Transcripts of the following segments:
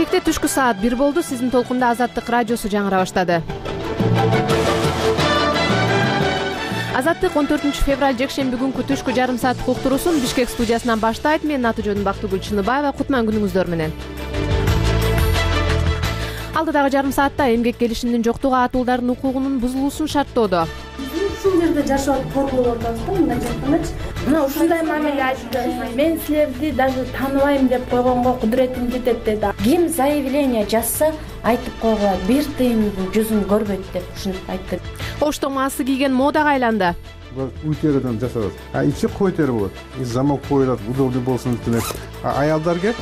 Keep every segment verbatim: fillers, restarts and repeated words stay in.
Бишкекте түшкү саат бир болду. Сиздин толкунда Азаттык радиосу жаңыра баштады. Азаттык он төртүнчү февраль жекшемби күнкү түшкү жарым сааттык уктуруусун Бишкек студиясынан баштайт. Менин аты жөнүм Бактыгүл Чыныбаева. Кутман күнүңүздөр менен. Алдыдагы жарым саатта эмгек келишиминин жоктугу атуулдардын укугунун бузулуусун шарттоодо. Ушул жерде жашап коркуп атабыз да, мындай жакканачы. Мына ушундай мамиле айтты. Мен силерди даже тааныбайм деп койгонго кудуретим жетет деди. Ким заявление жазса, айтып койгула, бир тыйындын жүзүн көрбөйт деп ушинтип айтты. Ошто маасы кийген модага айланды. Уй териден жасалат. А ичи кой тери болот. Замок коюлат, удобный болсун деп. А аялдарга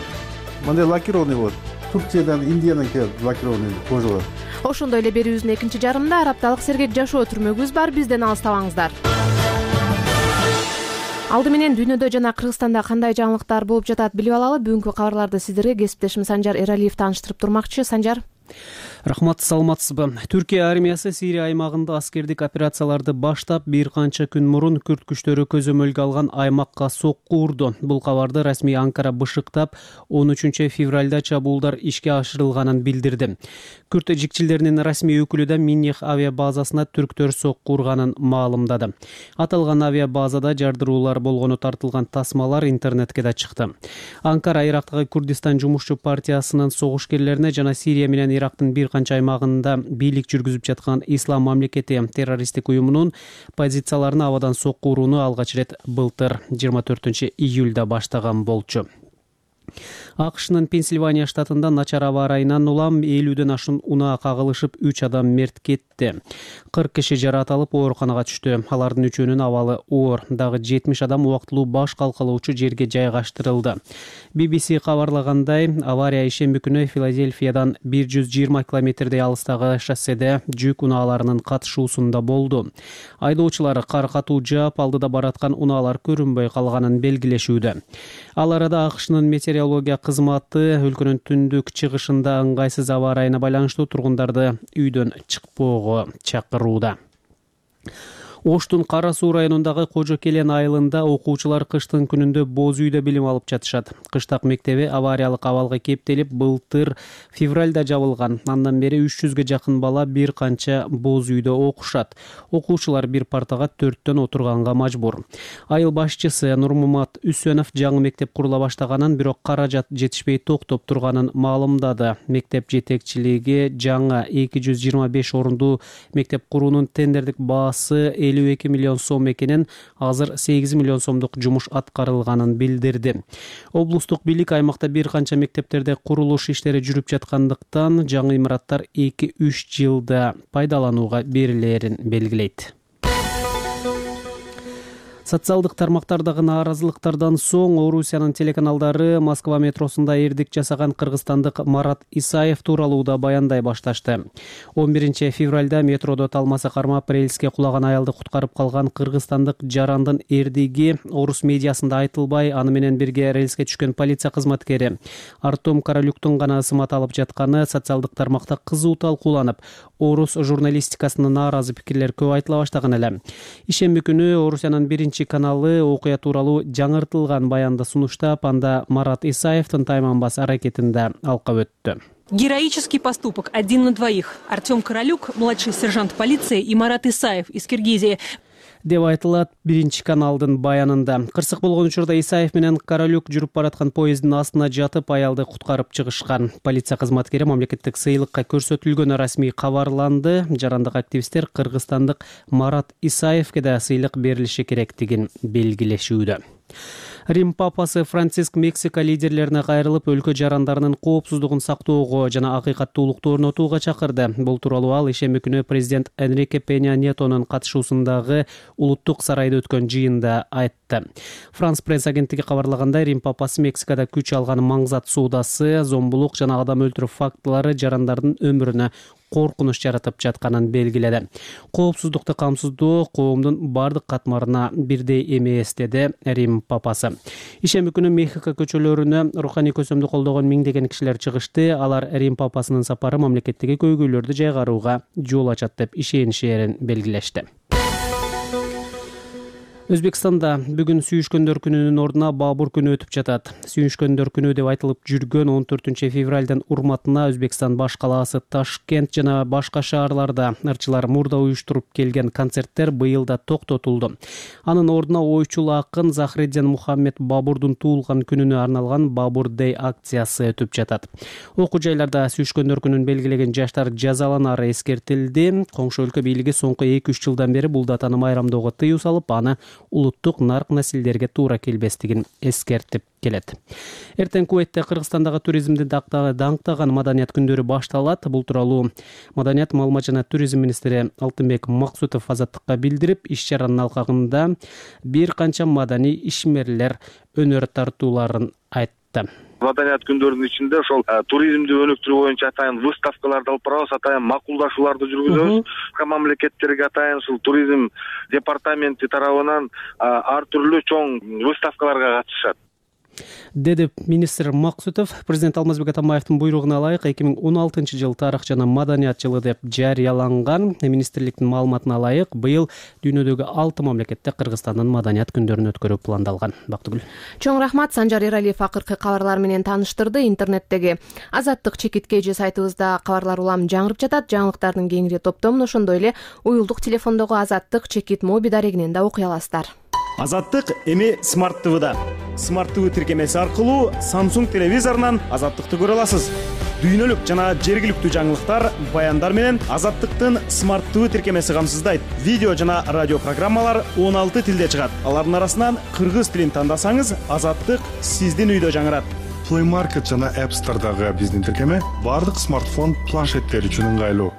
мындай лакированный болот. Турциядан, Индиядан келип лакированный кожалар. Ошондой эле берүүбүздүн экинчи жарымында ар апталык сергек жашоо түрмөгүбүз бар. Бизден алыстабаңыздар. Алды менен дүйнөдө жана Кыргызстанда кандай жаңылыктар болуп жатат билип алалы. Бүгүнкү кабарларды сиздерге кесиптешим Санжар Эралиев тааныштырып турмакчы. Санжар. Рахмат, саламатсызбы? Түркия армиясы Сирия аймагында аскердик операцияларды баштап, бир канча күн мурун күрд күчтөрү көзөмөлгө алган аймакка сокку урду. Бул кабарды расмий Анкара бышыктап, он үчүнчү февралда чабуулдар ишке ашырылганын билдирди. Күрд жикчилдеринин расмий өкүлү да Миннех авиа базасына түрктөр сокку урганын маалымдады. Аталган авиа базада жардыруулар болгону тартылган тасмалар интернетке да чыкты. Анкара Ирактагы Курдистан жумушчу партиясынын согушкерлерине жана Сирия менен Ирактын бир канча аймагында бийлик жүргүзүп жаткан Ислам мамлекети террористтик уюмунун позицияларына абадан сокку урууну алгач ирет былтыр жыйырма төртүнчү июлда баштаган болчу. АКШнын Пенсильвания штатында начар аба ырайынан улам элүүдөн ашуун унаа кагылышып үч адам мерт кетти. кырк киши жараталып ооруканага түштү. Алардын үчөөнүн абалы оор. Дагы жетимиш адам убактылуу баш калкалоочу жерге жайгаштырылды. би би си кабарлагандай, авария ишемби күнү Филадельфиядан бир жүз жыйырма километрдей алыстагы шосседе жүк унааларынын катышуусунда болду. Айдоочулар кар катуу жаап, алдыда бараткан унаалар көрүнбөй калганын белгилешүүдө. Ал арада АКШнын метеорология кызматы өлкөнүн түндүк чыгышында ыңгайсыз аба ырайына байланыштуу тургундарды үйдөн чыкпоого чакырууда. Оштун Кара Суу районундагы Кожо Келен айылында окуучулар кыштын күнүндө боз үйдө билим алып жатышат. Кыштак мектеби авариялык абалга кептелип, былтыр февралда жабылган. Андан бери үч жүзгө жакын бала бир канча боз үйдө окушат. Окуучулар бир партага төрттөн отурганга мажбур. Айыл башчысы Нурмумат Үсөнов жаңы мектеп курула баштаганын, бирок каражат жетишпей токтоп турганын маалымдады. Мектеп жетекчилиги жаңы эки жүз жыйырма беш орундуу мектеп куруунун тендердик баасы элүү эки миллион сом экенин, азыр сегиз миллион сомдук жумуш аткарылганын билдирди. Облустук бийлик аймакта бир канча мектептерде курулуш иштери жүрүп жаткандыктан жаңы имараттар эки үч жылда пайдаланууга берилерин белгилейт. Социалдык тармактардагы нааразылыктардан соң Орусиянын телеканалдары Москва метросунда эрдик жасаган кыргызстандык Марат Исаев тууралуу да баяндай башташты. он биринчи февралда метродо талмасы кармап рельске кулаган аялды куткарып калган кыргызстандык жарандын эрдиги орус медиасында айтылбай, аны менен бирге рельске түшкөн полиция кызматкери Артем Каралюктун гана ысмат алып жатканы социалдык тармакта кызуу талкууланып, орус журналистикасына нааразы пикирлер көп айтыла баштаган эле. Ишемби күнү Орусиянын биринчи каналы окуя тууралуу жаңыртылган баянды сунуштап, анда Марат Исаевдин тайманбас аракетин да алкап өттү. Героический поступок один на двоих. Артем Каралюк, младший сержант полиции, и Марат Исаев из Киргизии деп айтылат биринчи каналдын баянында. Кырсык болгон учурда Исаев менен Каралюк жүрүп бараткан поезддин астына жатып, аялды куткарып чыгышкан. Полиция кызматкери мамлекеттик сыйлыкка көрсөтүлгөнү расмий кабарланды. Жарандык активисттер кыргызстандык Марат Исаевке да сыйлык берилиши керектигин белгилешүүдө. Рим папасы Франциск Мексика лидерлерине кайрылып, өлкө жарандарынын коопсуздугун сактоого жана акыйкаттуулукту орнотууга чакырды. Бул тууралуу ал ишемби күнү президент Энрике Пеня Ньетонун катышуусундагы улуттук сарайда өткөн жыйында айтты. Франс пресс агенттиги кабарлагандай, Рим папасы Мексикада күч алган маңзат соодасы, зомбулук жана адам өлтүрүү фактылары жарандардын өмүрүнө коркунуч жаратып жатканын белгиледи. Коопсуздукту камсыздоо коомдун бардык катмарына бирдей эмес, деди Рим папасы. Ишемби күнү Мехико көчөлөрүнө руханий көсөмдү колдогон миңдеген кишилер чыгышты. Алар Рим папасынын сапары мамлекеттеги көйгөйлөрдү жайгарууга жол ачат деп ишенишерин белгилешти. Өзбекстанда бүгүн сүйүшкөндөр күнүнүн ордуна Баабур күнү өтүп жатат. Сүйүшкөндөр күнү деп айтылып жүргөн он төртүнчү февралдын урматына Өзбекстан баш калаасы Ташкент жана башка шаарларда ырчылар мурда уюштуруп келген концерттер быйыл да токтотулду. Анын ордуна ойчул акын Захреддин Мухаммед Баабурдун туулган күнүнө арналган Баабур Дэй акциясы өтүп жатат. Окуу жайларда сүйүшкөндөр күнүн белгилеген жаштар жазаланары эскертилди. Коңшу өлкө бийлиги соңку эки үч жылдан бери бул датаны майрамдоого тыюу салып, аны улуттук нарк населдерге туура келбестигин эскертип келет. Эртең Куветте Кыргызстандагы туризмди даңктаган маданият күндөрү башталат. Бул тууралуу Маданият, маалымат жана туризм министри Алтынбек Максутов Азаттыкка билдирип, иш-чаранын алкагында бир канча маданий ишмерлер өнөр тартууларын айтты. Маданият күндөрүнүн ичинде ошол туризмди өнүктүрүү боюнча атайын выставкаларды алып барабыз, атайын макулдашууларды жүргүзөбүз. Мамлекеттерге атайын ушул туризм департаменти тарабынан ар түрлүү чоң выставкаларга катышат, деди министр Максутов. Президент Алмазбек Атамбаевдин буйругуна ылайык эки миң он алтынчы жыл тарых жана маданият жылы деп жарыяланган. Министрликтин маалыматына ылайык, быйыл дүйнөдөгү алты мамлекетте Кыргызстандын маданият күндөрүн өткөрүү пландалган. Бактыгүл. Чоң рахмат. Санжар Эралиев акыркы кабарлар менен тааныштырды. Интернеттеги Азаттык чекит кж сайтыбызда кабарлар улам жаңырып жатат. Жаңылыктардын кеңири топтомун ошондой эле уюлдук телефондогу Азаттык чекит моби дарегинен да окуй аласыздар. Азаттык эми Смарт ТВда. Смарт ТВ тиркемеси аркылуу Samsung телевизорунан Азаттыкты көрө аласыз. Дүйнөлүк жана жергиликтүү жаңылыктар, баяндар менен Азаттыктын Смарт ТВ тиркемеси камсыздайт. Видео жана радио программалар он алты тилде чыгат. Алардын арасынан кыргыз тилин тандасаңыз, Азаттык сиздин үйдө жаңырат. Play Market жана App Store'дагы биздин тиркеме бардык смартфон планшеттер үчүн ыңгайлуу.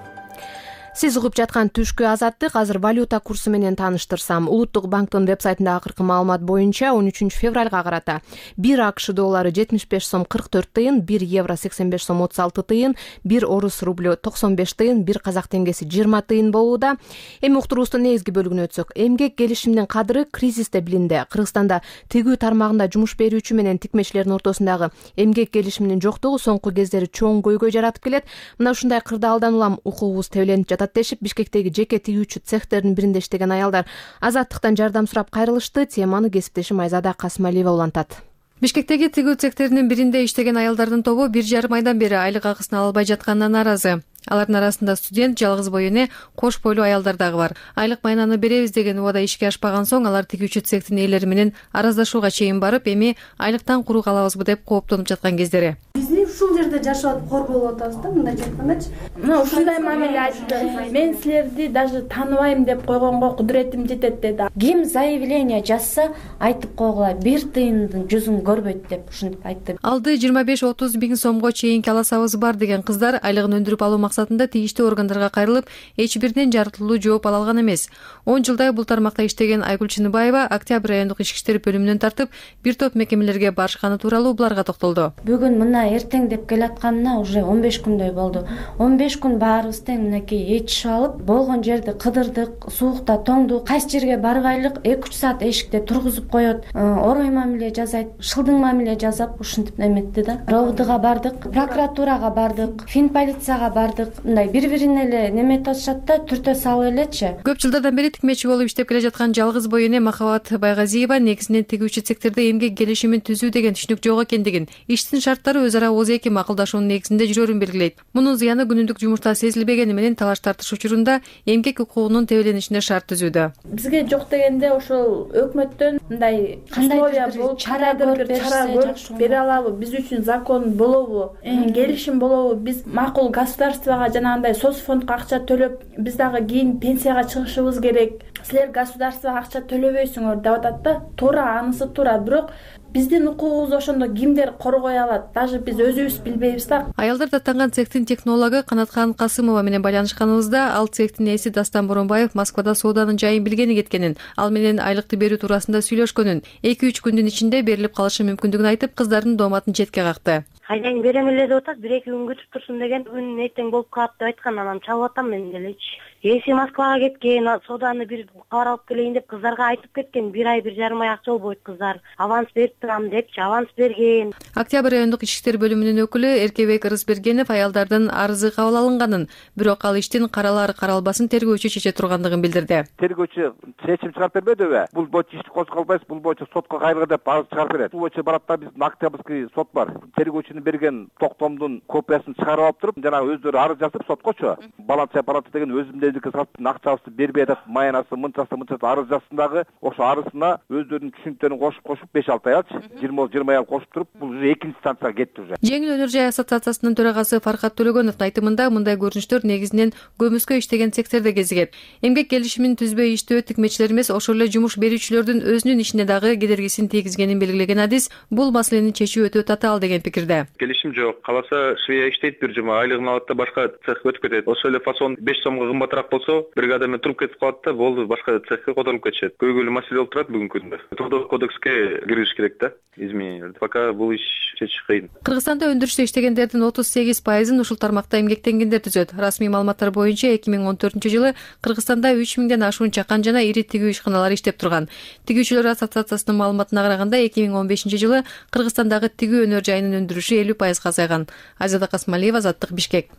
Сиз угуп жаткан түшкү Азаттык. Азыр валюта курсу менен тааныштырсам, Улуттук банктын вебсайтында акыркы маалымат боюнча он үчүнчү февралга карата бир АКШ доллары жетимиш беш сом кырк төрт тыйын, бир евро сексен беш сом отуз алты тыйын, бир орус рублю токсон беш тыйын, бир казак теңгеси жыйырма тыйын болууда. Эми уктуруубуздун негизги бөлүгүнө өтсөк, эмгек келишиминин кадыры кризисте билинди. Кыргызстанда тигүү тармагында жумуш берүүчү менен тикмечилердин ортосундагы эмгек келишиминин жоктугу соңку кездери чоң көйгөй жаратып келет. Мына ушундай кырдаалдан улам укугубуз тебеленип жатат дешип, Бишкектеги жеке тигүүчү цехтердин биринде иштеген аялдар Азаттыктан жардам сурап кайрылышты. Теманы кесиптешим Айзада Касымалиева улантат. Бишкектеги тигүү цехтеринин биринде иштеген аялдардын тобу бир жарым айдан бери айлык акысын ала албай жатканына нааразы. Алардын арасында студент, жалгыз бой эне, кош бойлуу аялдар дагы бар. Айлык майнаны беребиз деген убада ишке ашпаган соң алар тигүүчү цехтин ээлери менен араздашууга чейин барып, эми айлыктан куру калабызбы деп кооптонуп жаткан кездери. Бизди ушул жерде жашап атып кор болуп атабыз да, мындайча айткандачы. Мына ушундай мамиле айтты. Мен силерди даже тааныбайм деп койгонго кудуретим жетет деди. Ким заявление жазса, айтып койгула, бир тыйындын жүзүн көрбөйт деп ушинтип айтты. Алды жыйырма беш отуз миң сомго чейинки аласабыз бар деген кыздар айлыгын өндүрүп алуу максатында тийиштүү органдарга кайрылып, эч биринен жарыттылуу жооп ала алган эмес. он жылдай бул тармакта иштеген Айгүл Чыныбаева Октябрь райондук ички иштер бөлүмүнөн тартып, бир топ мекемелерге барышканы тууралуу буларга токтолду. Бүгүн мына эртең деп келатканына уже он беш күндөй болду. он беш күн баарыбыз тең мынакей ичишип алып, болгон жерди кыдырдык, суукта тоңду, кайсы жерге барбайлык эки үч саат эшикте тургузуп коет, орой мамиле жасайт, шылдың мамиле жасап ушинтип неметти да. РОВДга бардык, прокуратурага бардык, фин полицияга бардык. Мындай бири-бирине эле неметип атышат да, түртө салып элечи. Көп жылдардан бери тикмечи болуп иштеп келе жаткан жалгыз бой эне Махабат Байгазиева негизинен тигүүчү цехтерде эмгек келишимин түзүү деген түшүнүк жок экендигин, иштин шарттары өз ара ооз эки макулдашуунун негизинде жүрөрүн белгилейт. Мунун зыяны күнүмдүк жумушта сезилбегени менен талаш тартыш учурунда эмгек укугунун тебеленишине шарт түзүүдө. Бизге жок дегенде ошол өкмөттөн мындай кандайдыр бир чара көрүп бере алабы, биз үчүн закон болобу, келишим болобу, биз макул государствого жанагындай соцфондко акча төлөп, биз дагы кийин пенсияга чыгышыбыз керек. Силер государствого акча төлөбөйсүңөр деп атат да. Туура, анысы туура, бирок биздин укугубузду ошондо кимдер коргой алат? Даже биз өзүбүз билбейбиз да. Аялдар даттанган цехтин технологу Канаткан Касымова менен байланышканыбызда ал цехтин ээси Дастан Боронбаев Москвада сооданын жайын билгени кеткенин, ал менен айлыкты берүү туурасында сүйлөшкөнүн, эки үч күндүн ичинде берилип калышы мүмкүндүгүн айтып, кыздардын дооматын четке какты. Кайдан берем эле деп атат, бир эки күн күтүп турсун деген, бүгүн эртең болуп калат деп айткан, анан чалып атам мен делечи. эси Москвага кеткен, сооданы бир кабар алып келейин деп кыздарга айтып кеткен. Бир ай, бир жарым ай акча болбойт кыздар. Аванс берип турам депчи, аванс берген. Октябрь райондук ички иштер бөлүмүнүн өкүлү Эркебек Ырысбергенов аялдардын арызы кабыл алынганын, бирок ал иштин каралары каралбасын тергөөчү чече тургандыгын билдирди. Тергөөчү чечим чыгарып бербедиби? Бул боюнча ишти козголбайсыз, бул боюнча сотко кайрылгы деп арыз чыгарып берет. Бул боюнча барат да биздин Октябрьский сот бар. Тергөөчүнүн берген токтомдун копиясын чыгарып алып туруп, жанагы өздөрү арыз жазып соткочу. Баланча баланча деген өзүмдөрдүкү саттын акчабызды бербей атат, маянасы мынчасы мынчасы арыз жазсын дагы, ошо арызына өздөрүнүн түшүнүктөрүн кошуп кошуп беш алты ай алчы, жыйырма жыйырма ай кошуп туруп, бул уже экинчи станцияга кетти уже. Жеңил өнөр жай ассоциациясынын төрагасы Фаркат Төлөгөновдун айтымында мындай көрүнүштөр негизинен көмүскө иштеген цехтерде кезигет. Эмгек келишимин түзбөй иштөө тикмечилер эмес, ошол эле жумуш берүүчүлөрдүн өзүнүн ишине дагы кедергисин тийгизгенин белгилеген адис бул маселени чечүү өтө татаал деген пикирде. Келишим жок, каласа швея иштейт бир жума, айлыгын алат да башка цехке өтүп кетет. Ошол эле фасон беш сомго кымбатыраак болсо, бригада менен туруп кетип калат да, болду, башка цехке которулуп кетишет. Көйгөйлүү маселе болуп турат бүгүнкү күндө. Трудовой кодекске киргизиш керек да, измененияларды. Пока бул иш чечиш кыйын. Кыргызстанда өндүрүштө иштегендердин отуз сегиз пайызын ушул тармакта эмгектенгендер түзөт. Расмий маалыматтар боюнча эки миң он төртүнчү жылы Кыргызстанда үч миңден ашуун чакан жана ири тигүү ишканалар иштеп турган. Тигүүчүлөр ассоциациясынын маалыматына караганда эки миң он бешинчи жылы Кыргызстандагы тигүү өнөр жайынын өндүрүшү элүү пайызга азайган. Азада Касмалиева, Азаттык, Бишкек.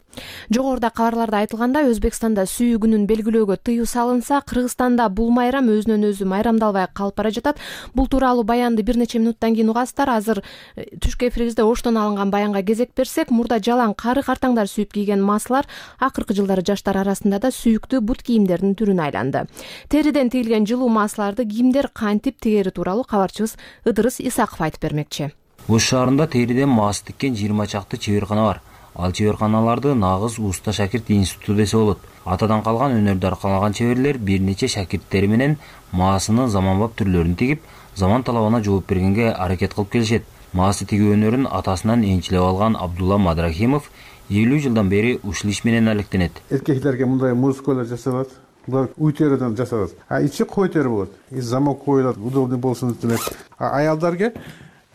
Жогоруда кабарларда айтылгандай, Өзбекстанда сүйүү күнүн белгилөөгө тыюу салынса, Кыргызстанда бул майрам өзүнөн өзү майрамдалбай калып бара жатат. Бул тууралуу баянды бир нече минуттан кийин угасыздар. Азыр түшкү эфирибизде оштон алынган баянга кезек берсек, мурда жалаң кары картаңдар сүйүп кийген маасылар акыркы жылдары жаштар арасында да сүйүктүү бут кийимдердин түрүнө айланды. Териден тигилген жылуу маасыларды кийимдер кантип тигери тууралуу кабарчыбыз Ыдырыс Исаков айтып бермекчи. Ош шаарында териден маас тиккен жыйырма чакты чеберкана бар. Ал чеберканаларды нагыз уста шакирт институту десе болот. Атадан калган өнөрдү аркалаган чеберлер бир нече шакирттери менен маасынын заманбап түрлөрүн тигип, заман талабына жооп бергенге аракет кылып келишет. Маасы тигүү өнөрүн атасынан энчилеп алган Абдулла Мадрахимов элүү жылдан бери ушул иш менен алектенет. Эркектерге мындай музыкалар жасалат. Булар уй териден жасалат. А ичи кой тери болот. И замок коюлат, удобный болсун деп. А аялдарга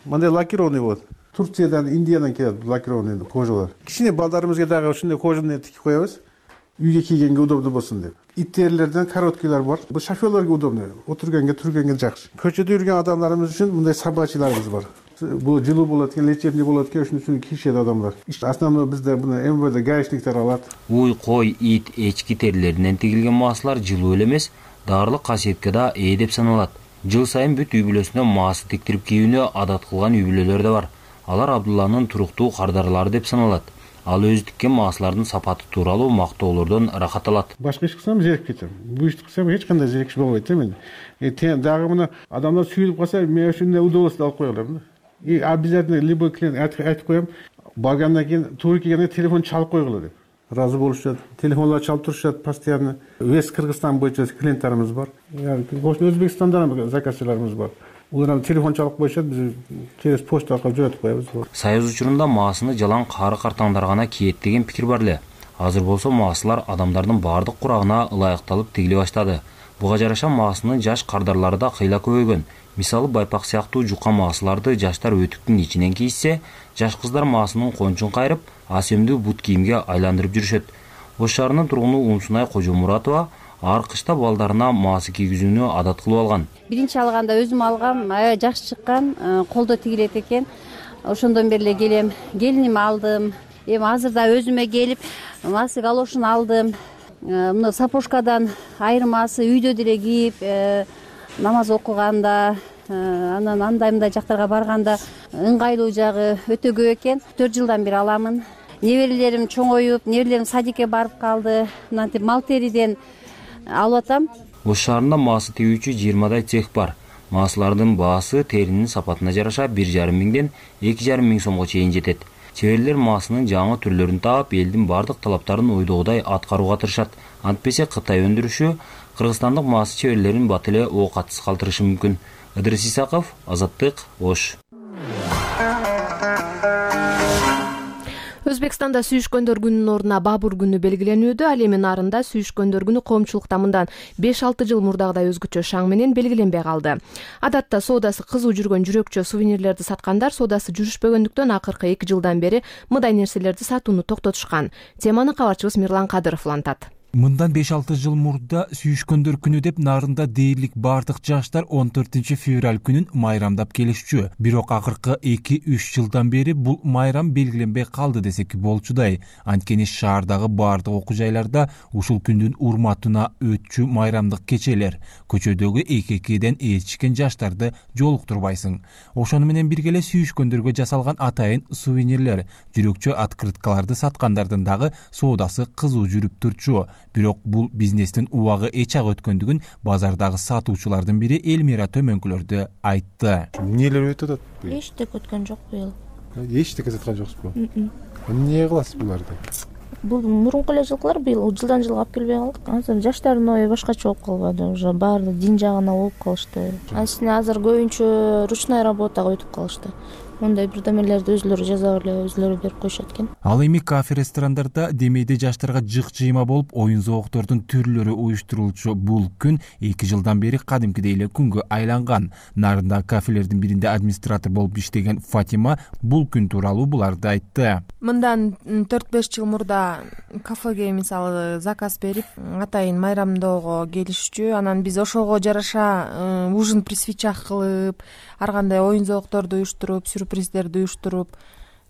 мындай лакированный болот. Турциядан, Индиядан келет лакированный кожалар. Кичине балдарыбызга дагы ушундай кожаный тигип коебуз. Үйгө кийгенге удобный болсун деп. Ит терилерден короткийлер бар. Бул шоферлорго удобный. Отурганга, турганга жакшы. Көчөдө жүргөн адамдарыбыз үчүн мындай собачьйларыбыз бар. Бул жылуу болот экен, лечебный болот экен, ушун үчүн кийишет адамдар. Основной бизде буну эм вэ дэ гаишниктер алат. Уй, кой, ит, эчки терилеринен тигилген маасылар жылуу эле эмес, даарылык касиетке да ээ деп саналат. Жыл сайын бүт үй бүлөсүнө маасы тиктирип кийүүнү адат кылган үй бүлөлөр да бар. Алар Абдулланын туруктуу кардарлары деп саналат. Ал өзү тиккен маасылардын сапаты тууралуу мактоолордон ырахат алат. Башка иш кылсам зерикип кетем. Бул ишти кылсам эч кандай зерикиш болбойт да мен. Дагы муну адамдар сүйүлүп калса, мен ушундай удовольствие алып кое алам да. И обязательно любой клиент айтып коем, баргандан кийин туура келгенде телефон чалып койгула деп. Разы болушат. Телефонлор чалып турушат постоянно. Весь Кыргызстан боюнча клиенттарыбыз бар. Ошо Өзбекстандан заказчыларыбыз бар. Улар телефон чалып коюшат, биз через почта аркылуу жөнөтүп коебуз. Союз учурунда маасыны жалаң кары картаңдар гана кийет деген пикир бар эле. Азыр болсо маасылар адамдардын баардык курагына ылайыкталып тигиле баштады. Буга жараша маасынын жаш кардарлары да кыйла көбөйгөн. Мисалы байпак сыяктуу жука маасыларды жаштар өтүктүн ичинен кийсе, жаш кыздар маасынын кончун кайрып, асемдүү бут кийимге айландырып жүрүшөт. Ош шаарынын тургуну Умсунай Кожомуратова ар кышта балдарына маасы кийгизүүнү адат кылып алган. Биринчи алганда өзүм алгам, аябай жакшы чыккан, колдо тигилет экен. Ошондон бери эле келем, келиниме алдым. Эми азыр да өзүмө келип, маасы галошун алдым. Мына сапожкадан айырмасы үйдө деле кийип, намаз окуганда, анан андай мындай жактарга барганда ыңгайлуу жагы өтө көп экен. төрт жылдан бери аламын. Неберелерим чоңоюп, неберелерим садикке барып калды. Мынтип мал териден алып атам. Ош шаарында маасы тигүүчү жыйырмадай цех бар. Маасылардын баасы теринин сапатына жараша бир жарым миңден эки жарым миң сомго чейин жетет. Чеберлер маасынын жаңы түрлөрүн таап, элдин бардык талаптарын ойдогудай аткарууга тырышат. Антпесе Кытай өндүрүшү кыргызстандык маасы чеберлерин бат эле оокатсыз калтырышы мүмкүн. Ыдырыс Исаков, Азаттык, Ош. Өзбекстанда сүйүшкөндөр күнүнүн ордуна Бабур күнү белгиленүүдө. Ал эми нарында сүйүшкөндөр күнү коомчулукта мындан беш алты жыл мурдагыдай өзгөчө шаң менен белгиленбей калды. Адатта соодасы кызуу жүргөн жүрөкчө сувенирлерди саткандар соодасы жүрүшпөгөндүктөн акыркы эки жылдан бери мындай нерселерди сатууну токтотушкан. Теманы кабарчыбыз Мирлан Кадыров улантат. Мындан беш алты жыл мурда сүйүшкөндөр күнү деп Нарында дээрлик бардык жаштар он төртүнчү февраль күнүн майрамдап келишчү. Бирок акыркы эки үч жылдан бери бул майрам белгиленбей калды десек болчудай. Анткени шаардагы бардык окуу жайларда ушул күндүн урматына өтчү майрамдык кечелер. Көчөдөгү эки-экиден ээрчишкен жаштарды жолуктурбайсың. Ошону менен бирге эле сүйүшкөндөргө жасалган атайын сувенирлер, жүрөкчө открыткаларды саткандардын дагы соодасы кызуу жүрүп турчу. Бирок бул бизнестин убагы эч ак өткөндүгүн базардагы сатуучулардын бири Элмира Төмөнкүлөрдү айтты. Эмнелер өтүп атат? Эчтек өткөн жок быйыл. Эчтеке саткан жоксузбу? Эмне кыласыз буларды? Бул мурунку эле жылкылар быйыл жылдан жылга алып келбей калдык. Азыр жаштардын ою башкача болуп калбады, уже баары дин жагына болуп калышты. Асына азыр көбүнчө ручной работага өтүп калышты. Мондай бирдемелерди өзүлөрү жасап эле өзүлөрү берип коюшат экен. Ал эми кафе ресторандарда демейде жаштарга жык жыйма болуп оюн зооктордун түрлөрү уюштурулчу бул күн эки жылдан бери кадимкидей эле күнгө айланган. Нарында кафелердин биринде администратор болуп иштеген Фатима бул күн тууралуу буларды айтты. Мындан төрт беш жыл мурда кафеге мисалы заказ берип атайын майрамдоого келишчү. Анан биз ошого жараша ужин при свечах кылып, ар кандай оюн зоокторду уюштуруп, сюрприздерди уюштуруп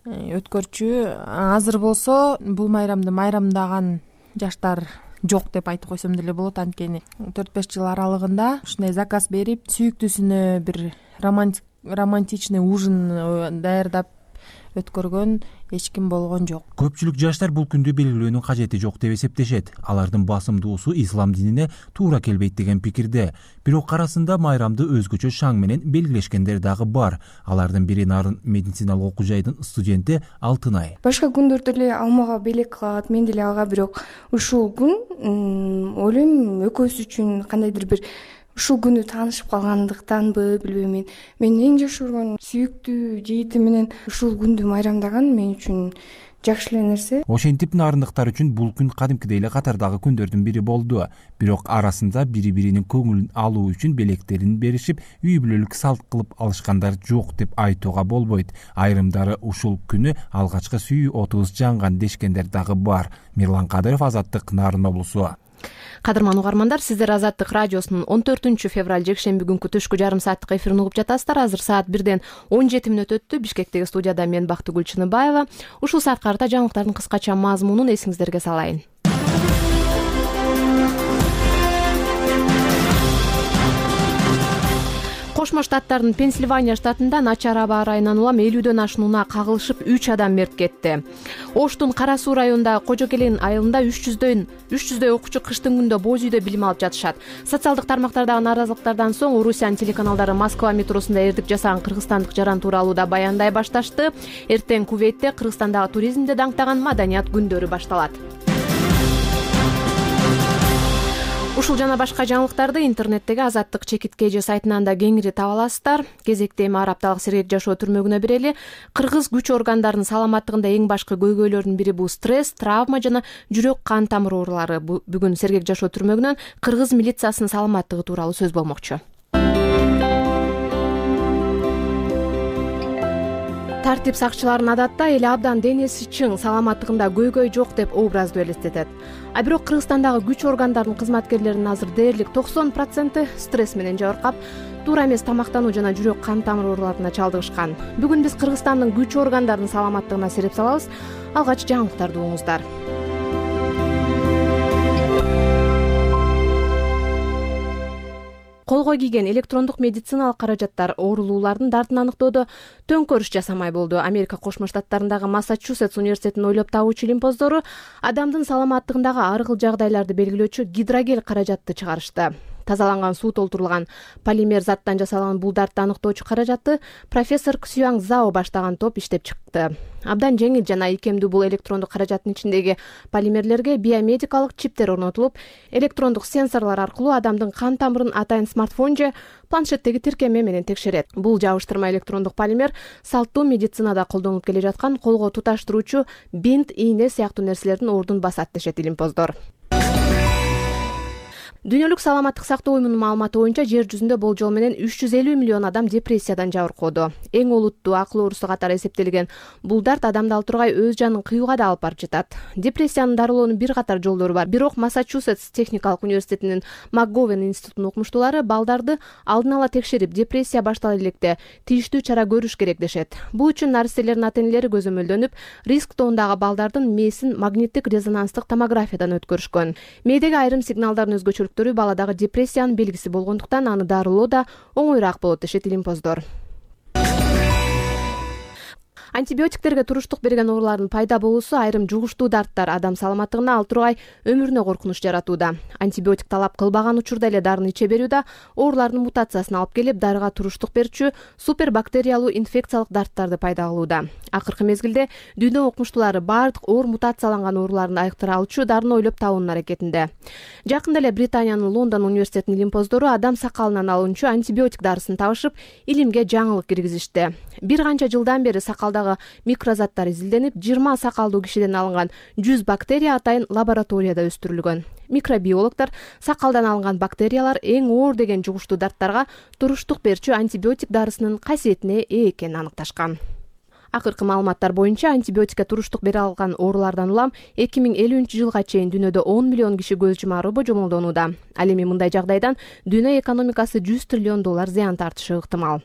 өткөрчү. Азыр болсо бул майрамды майрамдаган жаштар жок деп айтып койсом деле болот. Анткени төрт беш жыл аралыгында ушундай заказ берип, сүйүктүүсүнө бир романтичный ужин даярдап өткөргөн эч ким болгон жок. Көпчүлүк жаштар бул күндү белгилөөнүн кажети жок деп эсептешет. Алардын басымдуусу ислам динине туура келбейт деген пикирде. Бирок арасында майрамды өзгөчө шаң менен белгилешкендер дагы бар. Алардын бири Нарын медициналык окуу жайдын студенти Алтынай. Башка күндөрдө эле алмага белек кылат, мен деле ага, бирок ушул күн ойлойм экөөбүз үчүн кандайдыр бир ушул күнү таанышып калгандыктанбы, билбейм мен. Мен эң жакшы көргөн сүйүктүү жигитим менен ушул күндү майрамдаган мен үчүн жакшы эле нерсе. Ошентип нарындыктар үчүн бул күн кадимкидей эле катардагы күндөрдүн бири болду. Бирок арасында бири-биринин көңүлүн алуу үчүн белектерин беришип, үй бүлөлүк салт кылып алышкандар жок деп айтууга болбойт. Айрымдары ушул күнү алгачкы сүйүү отубуз жанган дешкендер дагы бар. Мирлан Кадыров, Азаттык, Нарын облусу. Кадырман угармандар, сиздер Азаттык радиосунун он төртүнчү февраль жекшемби күнкү түшкү жарым сааттык эфирин угуп жатасыздар. Азыр саат бирден он жети мүнөт өттү. Бишкектеги студияда мен Бактыгүл Чыныбаева. Ушул саатка карата жаңылыктардын кыскача мазмунун эсиңиздерге салайын. Кошмо Штаттардын Пенсильвания штатында начар аба ырайынан улам элүүдөн ашуун унаа кагылышып үч адам мерт кетти. Оштун Кара Суу районундагы Кожокелен айылында үч жүздөй окуучу кыштын күндө боз үйдө билим алып жатышат. Социалдык тармактардагы нааразылыктардан соң Орусиянын телеканалдары Москва метросунда эрдик жасаган кыргызстандык жаран тууралуу да баяндай башташты. Эртең Кувейтте Кыргызстандагы туризмди даңктаган маданият күндөрү башталат. Ушул жана башка жаңылыктарды интернеттеги Азаттык чекитке же сайтынан да кеңири таба аласыздар. Кезекте эми арапталык сергек жашоо түрмөгүнө берели. Кыргыз күч органдарынын саламаттыгында эң башкы көйгөйлөрдүн бири бул стресс, травма жана жүрөк кан тамыр оорулары. Бүгүн сергек жашоо түрмөгүнөн кыргыз милициясынын саламаттыгы тууралуу сөз болмокчу. Тартип сакчыларын адатта эле абдан денеси чың, саламаттыгында көйгөй жок деп образды элестетет. А бирок Кыргызстандагы күч органдарынын кызматкерлеринин азыр дээрлик токсон проценти стресс менен жабыркап, туура эмес тамактануу жана жүрөк кан тамыр ооруларына чалдыгышкан. Бүгүн биз Кыргызстандын күч органдарынын саламаттыгына сереп салабыз. Алгач жаңылыктарды угуңуздар. Колго кийген электрондук медициналык каражаттар оорулуулардын дартын аныктоодо төңкөрүш жасамай болду. Америка Кошмо Штаттарындагы Массачусетс университетинин ойлоп табуучу илимпоздору адамдын саламаттыгындагы ар кыл жагдайларды белгилөөчү гидрогел каражатты чыгарышты. Тазаланган суу толтурулган полимер заттан жасалган бул дартты аныктоочу каражатты профессор Ксюанг Зао баштаган топ иштеп чыкты. Абдан жеңил жана ийкемдүү бул электрондук каражаттын ичиндеги полимерлерге биомедикалык чиптер орнотулуп, электрондук сенсорлор аркылуу адамдын кан тамырын атайын смартфон же планшеттеги тиркеме менен текшерет. Бул жабыштырма электрондук полимер салттуу медицинада колдонулуп келе жаткан колго туташтыруучу бинт, ийне сыяктуу нерселердин ордун басат дешет илимпоздор. Дүйнөлүк саламаттык сактоо уюмунун маалыматы боюнча жер жүзүндө болжол менен үч жүз элүү миллион адам депрессиядан жабыркоодо. Эң олуттуу акыл оорусу катары эсептелген бул дарт адамды ал тургай өз жанын кыюуга да алып барып жатат. Депрессияны дарылоонун бир катар жолдору бар. Бирок Массачусетс техникалык университетинин МакГовен институтунун окумуштуулары балдарды алдын ала текшерип, депрессия баштала электе тийиштүү чара көрүш керек дешет. Бул үчүн наристелердин ата-энелери көзөмөлдөнүп, риск тобундагы балдардын мээсин магниттик резонанстык томографиядан өткөрүшкөн. Мээдеги айрым сигналдардын өзгөчөлүктөрү баладагы депрессиянын белгиси болгондуктан аны дарылоо да оңоюраак болот дешет илимпоздор. Антибиотиктерге туруштук берген оорулардын пайда болуусу айрым жугуштуу дарттар адам саламаттыгына ал тургай өмүрүнө коркунуч жаратууда. Антибиотик талап кылбаган учурда эле дарыны иче берүү да оорулардын мутациясына алып келип, дарыга туруштук берчү супербактериялуу инфекциялык дарттарды пайда кылууда. Акыркы мезгилде дүйнө окумуштуулары баардык оор мутацияланган ооруларды айыктыра алчу дарыны ойлоп табуунун аракетинде. Жакында эле Британиянын Лондон университетинин илимпоздору адам сакалынан алынчу антибиотик дарысын табышып, илимге жаңылык киргизишти. Бир канча жылдан бери сакалдагы микрозаттар изилденип, жыйырма сакалдуу кишиден алынган жүз бактерия атайын лабораторияда өстүрүлгөн. Микробиологдор сакалдан алынган бактериялар эң оор деген жугуштуу дарттарга туруштук берчү антибиотик дарысынын касиетине ээ экенин аныкташкан. Акыркы маалыматтар боюнча антибиотикке туруштук бере алган оорулардан улам эки миң элүүнчү жылга чейин дүйнөдө он миллион киши көз жумары божомолдонууда. Ал эми мындай жагдайдан дүйнө экономикасы жүз триллион доллар зыян тартышы ыктымал.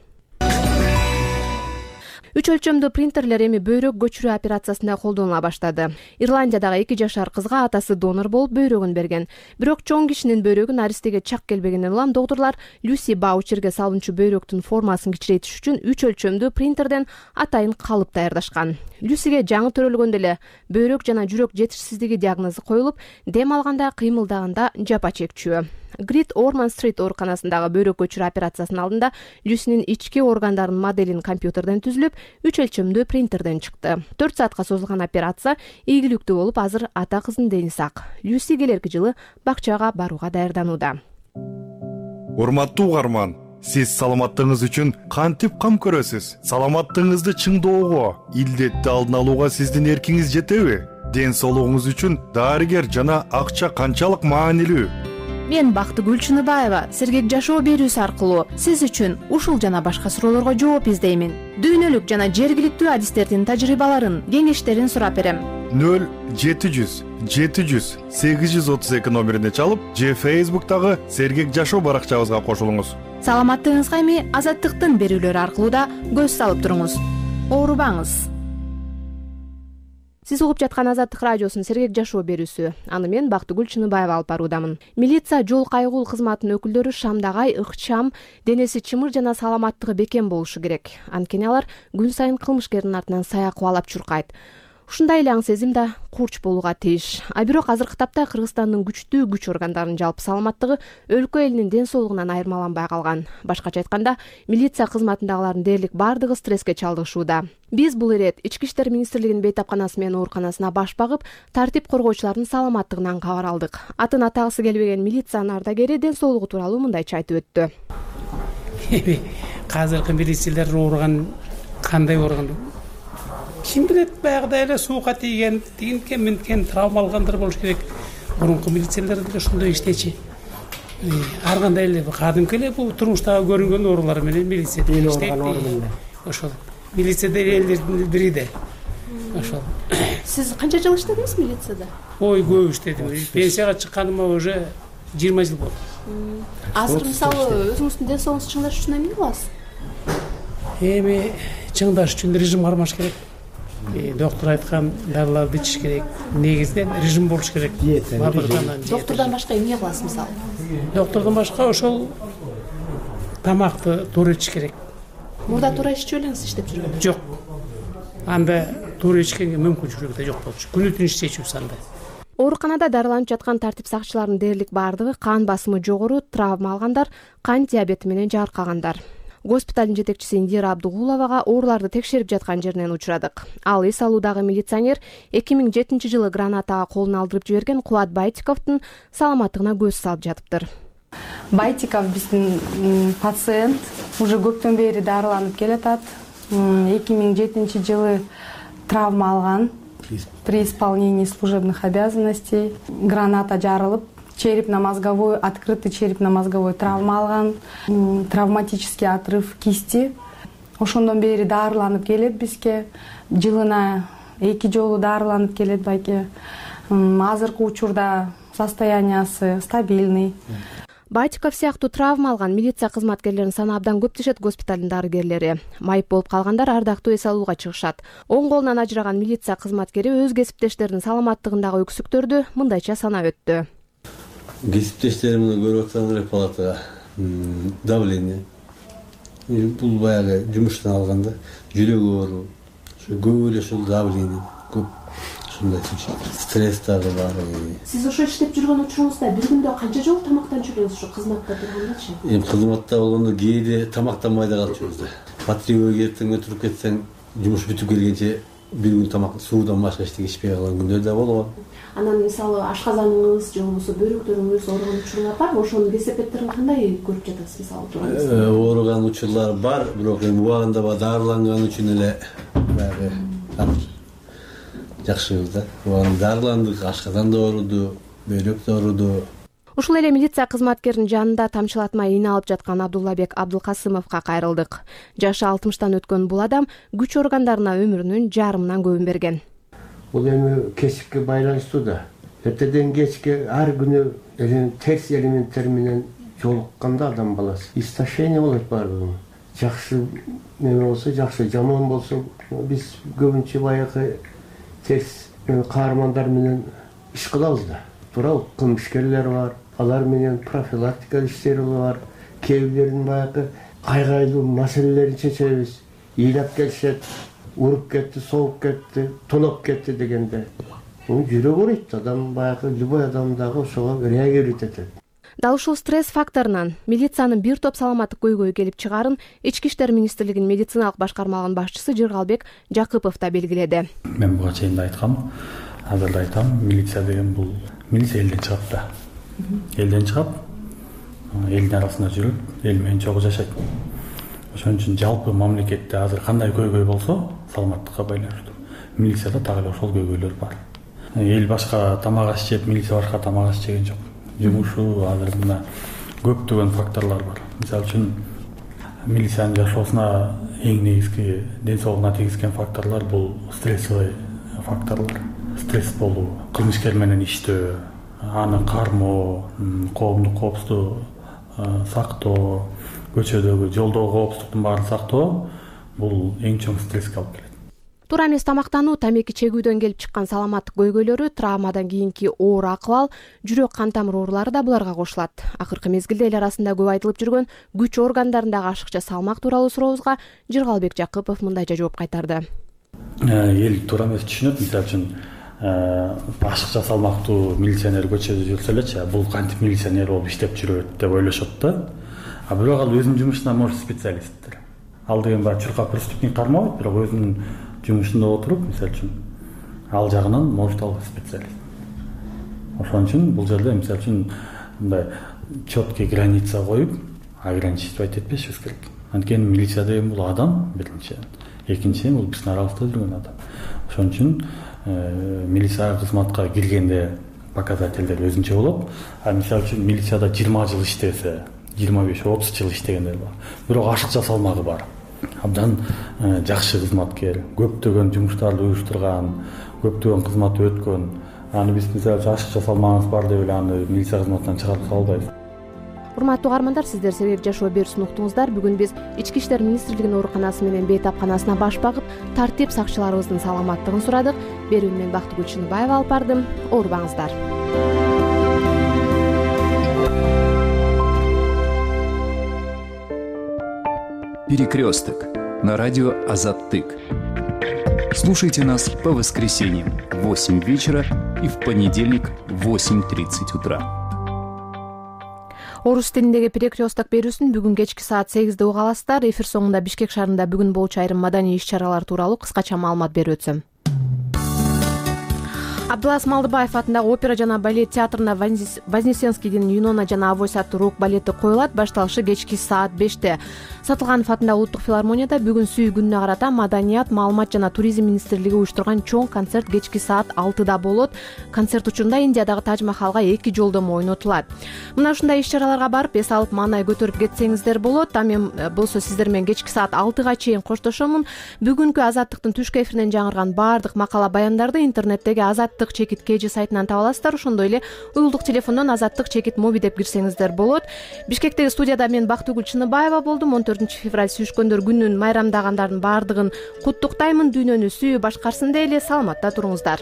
Үч өлчөмдүү принтерлер эми бөйрөк көчүрүү операциясында колдонула баштады. Ирландиядагы эки жашар кызга атасы донор болуп бөйрөгүн берген. Бирок чоң кишинин бөйрөгүн аристеге чак келбегенден улам доктурлар Люси Баучерге салынчу бөйрөктүн формасын кичирейтиш үчүн үч өлчөмдүү принтерден атайын калып даярдашкан. Люсиге жаңы төрөлгөндө эле бөйрөк жана жүрөк жетишсиздиги диагнозу коюлуп, дем алганда, кыймылдаганда жапа чекчү. Грит Орман Стрит ооруканасындагы бөйрөк көчүрүү операциясынын алдында Люсинин ички органдарынын моделин компьютерден түзүлүп, үч өлчөмдүү принтерден чыкты. төрт саатка созулган операция ийгиликтүү болуп, азыр ата кыздын дени сак. Люси келерки жылы бакчага барууга даярданууда. Урматтуу угарман, сиз саламаттыгыңыз үчүн кантип кам көрөсүз? Саламаттыгыңызды чыңдоого, илдетти алдын алууга сиздин эркиңиз жетеби? Ден соолугуңуз үчүн дарыгер жана акча канчалык маанилүү? Мен Бактыгүл Чыныбаева Сергек жашоо берүүсү аркылуу сиз үчүн ушул жана башка суроолорго жооп издеймин. Дүйнөлүк жана жергиликтүү адистердин тажрыйбаларын, кеңештерин сурап берем. нөл жети жүз жети жүз сегиз жүз отуз эки номерине чалып, же Facebook'тагы Сергек жашоо баракчабызга кошулуңуз. Саламаттыгыңызга эми Азаттыктын берүүлөрү аркылуу да көз салып туруңуз. Оорубаңыз. Сиз угуп жаткан Азаттык радиосунун Сергек жашоо берүүсү. Аны мен Бактыгүл Чыныбаева алып баруудамын. Милиция жол кайгыл кызматынын өкүлдөрү шамдагай, ыкчам, денеси чымыр жана саламаттыгы бекем болушу керек. Анткени алар күн сайын кылмышкердин артынан сая кубалап чуркайт. Ушундай эле аң сезим да курч болууга тийиш. А бирок азыркы тапта Кыргызстандын күчтүү күч органдарынын жалпы саламаттыгы өлкө элинин ден соолугунан айырмаланбай калган. Башкача айтканда, милиция кызматындагылардын дээрлик бардыгы стресске чалдыгышууда. Биз бул ирет Ички иштер министрлигинин бейтапканасы менен ооруканасына баш багып, тартип коргоочулардын саламаттыгынан кабар алдык. Атын атагысы келбеген милициянын ардагери ден соолугу тууралуу мындайча айтып өттү. Азыркы милициялар ооруган кандай ооруган? Ким билет, баягыдай эле суукка тийген, тигинткен, минткен, травма алгандар болуш керек. Мурунку милициялар деле ошондой иштечи. Ар кандай эле кадимки эле бул турмуштагы көрүнгөн оорулар менен милицияда иштейт. Ошол. Милицияда элдердин бири да. Ошол. Сиз канча жыл иштедиңиз милицияда? Ой, көп иштедим. Пенсияга чыкканыма уже жыйырма жыл болду. Азыр мисалы өзүңүздүн ден соолугуңузду чыңдаш үчүн эмне кыласыз? Эми чыңдаш үчүн режим кармаш керек. Доктор айткан дарыларды ичиш керек. Негизинен режим болуш керек. Доктордон башка эмне кыласыз мисалы? Доктордон башка ошол тамакты туура ичиш керек. Мурда туура иччү элеңиз иштеп жүргөн? Жок. Анда туура ичкенге мүмкүнчүлүгү да жок болчу. Күнү түн иштечүбүз анда. Ооруканада дарыланып жаткан тартип сакчыларынын дээрлик бардыгы кан басымы жогору, травма алгандар, кант диабети менен жааркагандар. Госпиталдын жетекчиси Индира Абдугуловага ооруларды текшерип жаткан жеринен учурадык. Ал эс алуудагы милиционер эки миң жетинчи жылы гранатага колун алдырып жиберген Кубат Байтиковдун саламаттыгына көз салып жатыптыр. Байтиков биздин пациент уже көптөн бери дарыланып келатат. эки миң жетинчи жылы травма алган при исполнении служебных обязанностей. Граната жарылып, черепно-мозговой, открытый черепно-мозговой травма алган, травматический отрыв кисти. Ошондон бери дарыланып келет бизге. Жылына эки жолу дарыланып келет байке. Азыркы учурда состояниясы стабильный. Батиков сыяктуу травма алган милиция кызматкерлеринин саны абдан көп дешет госпиталдын дарыгерлери. Майып болуп калгандар ардактуу эс алууга чыгышат. Оң колунан ажыраган милиция кызматкери өз кесиптештеринин саламаттыгындагы өксүктөрдү мындайча санап өттү. Кесиптештеримди көрүп атсаңар палатага давление. Бул баягы жумуштан алганда жүрөк оору, көп эле ушул давление көп. Стресс дагы бар. Сиз ошо иштеп жүргөн учуруңузда бир күндө канча жолу тамактанып жүрөсүз ушу кызматта тургандачы? Эми кызматта болгондо кээде тамактанбай да калып жүрөбүз. Патрульга эртең өтүрүп кетсең, жумуш бүтүп келгенче бир күн тамак суудан башка эчтеке ичпей калган күндөр да болгон. Анан мисалы ашказаныңыз же болбосо бөйрөктөрүңүз ооруган учурлар барбы? Ошонун кесепеттерин кандай көрүп жатасыз мисалы турганда? Ооруган учурлар бар, бирок эми убагында дарыланган үчүн эле баягы жакшыбыз да. Убагында дарыландык, ашказан да ооруду, бөйрөк да ооруду. Ушул эле милиция кызматкеринин жанында тамчылатмай ийне алып жаткан Абдуллабек Абдулкасымовго кайрылдык. Жашы алтымыштан өткөн бул адам күч органдарына өмүрүнүн жарымынан көбүн берген. Бул эми кесипке байланыштуу да. Эртеден кечке ар күнү терс элементтер менен жолукканда адам баласы истощение болот баардыгы. Жакшы неме болсо жакшы, жаман болсо биз көбүнчө баягы терс каармандар менен иш кылабыз да. Туурабы? Кылмышкерлер бар, алар менен профилактика иштери бар. Кээ бирлеринин баягы кайгайлуу маселелерин чечебиз. Ыйлап келишет, уруп кетти, соғып кетти, тоноп кетти дегенде. Жүрөк ооруйт, адам баягы любой адам дагы ошого реагировать этет. Дал ушул стресс факторунан милициянын бир топ саламаттык көйгөй келип чыгарын Ички иштер министрлигинин медициналык башкармалыгынын башчысы Жыргалбек Жакыпов да белгиледи. Мен буга чейин да айткам, азыр да айтам, милиция деген бул милиция элден чыгат да. Элден чыгат, элдин арасында жүрөт, эл менен чогуу жашайт. Ошон үчүн жалпы мамлекетте азыр кандай көйгөй болсо, саламаттыкка байланыштуу. Милицияда так эле ошол көйгөйлөр бар. Эл башка тамак аш жеп, милиция башка тамак аш жеген жок. Жумушу азыр мына көптөгөн факторлор бар. Мисалы үчүн милициянын жашоосуна эң негизги ден соолугуна тийгизген факторлор бул стрессовый факторлор. Стресс болуу, кылмышкер менен иштөө, аны кармоо, коомдук коопсуздук сактоо, көчөдөгү жолдогу коопсуздуктун баарын сактоо бул эң чоң стресске алып келет. Туура эмес тамактануу, тамеки чегүүдөн келип чыккан саламаттык көйгөйлөрү, травмадан кийинки оор акыбал, жүрөк кан тамыр оорулары да буларга кошулат. Акыркы мезгилде эл арасында көп айтылып жүргөн күч органдарындагы ашыкча салмак тууралуу сурообузга Жыргалбек Жакыпов мындайча жооп кайтарды. Эл туура эмес түшүнөт, мисалы үчүн ашыкча салмактуу милиционер көчөдө жүрсө элечи, бул кантип милиционер болуп иштеп жүрөт деп ойлошот да. А бирок ал өзүнүн жумушуна может специалисттер. Ал деген баягы чуркап преступник кармабайт, бирок өзүнүн жумушунда отуруп, мисалы үчүн ал жагынан может ал специалист. Ошон үчүн бул жерде мисалы үчүн мындай четкий граница коюп, ограничивать этпешибиз керек. Анткени милиция деген бул адам биринчи, экинчиден бул биздин арабызда жүргөн адам. Ошон үчүн милиция кызматка киргенде показательдер өзүнчө болот. А мисалы үчүн милицияда жыйырма жыл иштесе, жыйырма беш отуз жыл иштегендер бар. Бирок ашыкча салмагы бар. Абдан жакшы кызматкер, көптөгөн жумуштарды уюштурган, көптөгөн кызматты өткөн. Аны биз мисалы ашыкча салмагыбыз бар деп эле аны милиция кызматынан чыгарып сала албайбыз. Урматтуу каармандар, сиздер Себеп жашоо берүүсүн уктуңуздар. Бүгүн биз Ички иштер министрлигинин ооруканасы менен бейтапканасына баш багып, тартип сакчыларыбыздын саламаттыгын сурадык. Берүүнү мен Бактыгүл Чыныбаева алып бардым. Оорубаңыздар. Перекресток на радио Азаттык. Слушайте нас по воскресеньям в восемь вечера и в понедельник в восемь тридцать утра. Орус тилиндеги Перекресток берүүсүн бүгүн кечки саат сегизде уга аласыздар. Эфир соңунда Бишкек шаарында бүгүн болчу айрым маданий иш-чаралар тууралуу кыскача маалымат берип өтсөм. Абдылас Малдыбаев атындагы опера жана балет театрында Вознесенскийдин Юнона жана Авось аттуу рок балети коюлат. Башталышы кечки саат беште. Сатылганов атындагы улуттук филармонияда бүгүн сүй күнүнө карата Маданият, маалымат жана туризм министрлиги уюштурган чоң концерт кечки саат алтыда болот. Концерт учурунда Индиядагы Тадж Махалга эки жолдомо ойнотулат. Мына ушундай иш-чараларга барып эс алып маанай көтөрүп кетсеңиздер болот. А мен болсо сиздер менен кечки саат алтыга чейин коштошомун. Бүгүнкү Азаттыктын түшкү эфиринен жаңырган баардык макала баяндарды интернеттеги Азаттык чекит кж сайтынан таба аласыздар. Ошондой эле уюлдук телефондон Азаттык чекит моби деп кирсеңиздер болот. Бишкектеги студияда мен Бактыгүл Чыныбаева болдум. он төртүнчү февраль сүйүшкөндөр күнүн майрамдагандардын баардыгын куттуктаймын. Дүйнөнү сүйүү башкарсын дейли. Саламатта туруңуздар.